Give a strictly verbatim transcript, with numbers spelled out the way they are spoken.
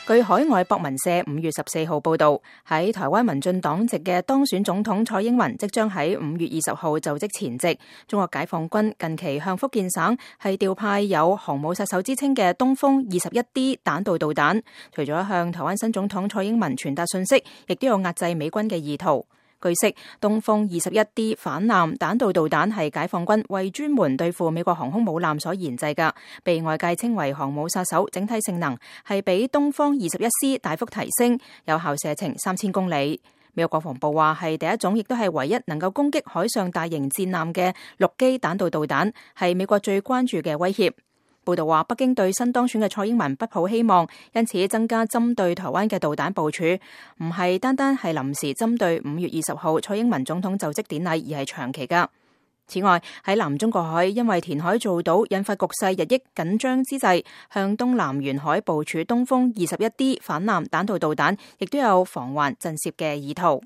據海外博文社五月十四號報道，喺台灣民進黨籍嘅當選總統蔡英文即將喺五月二十號就職前夕，中國解放軍近期向福建省係調派有航母殺手之稱嘅東風二十一 D 彈道導彈，除咗向台灣新總統蔡英文傳達信息，亦都有壓制美軍嘅意圖。據悉，東風二十一 D 反艦彈道導彈係解放軍為專門對付美國航空母艦所研製嘅，被外界稱為航母殺手，整體性能係比東風二十一 C 大幅提升，有效射程三千公里。美國國防部話係第一種，亦都係唯一能夠攻擊海上大型戰艦嘅陸基彈道導彈，係美國最關注嘅威脅。報道話，北京對新當選嘅蔡英文不抱希望，因此增加針對台灣嘅導彈部署，唔係單單係臨時針對五月二十號蔡英文總統就職典禮，而係長期噶。此外，喺南中國海因為填海造島引發局勢日益緊張之際，向東南沿海部署東風二十一 D 反艦彈道導彈，亦都有防患震懾嘅意圖。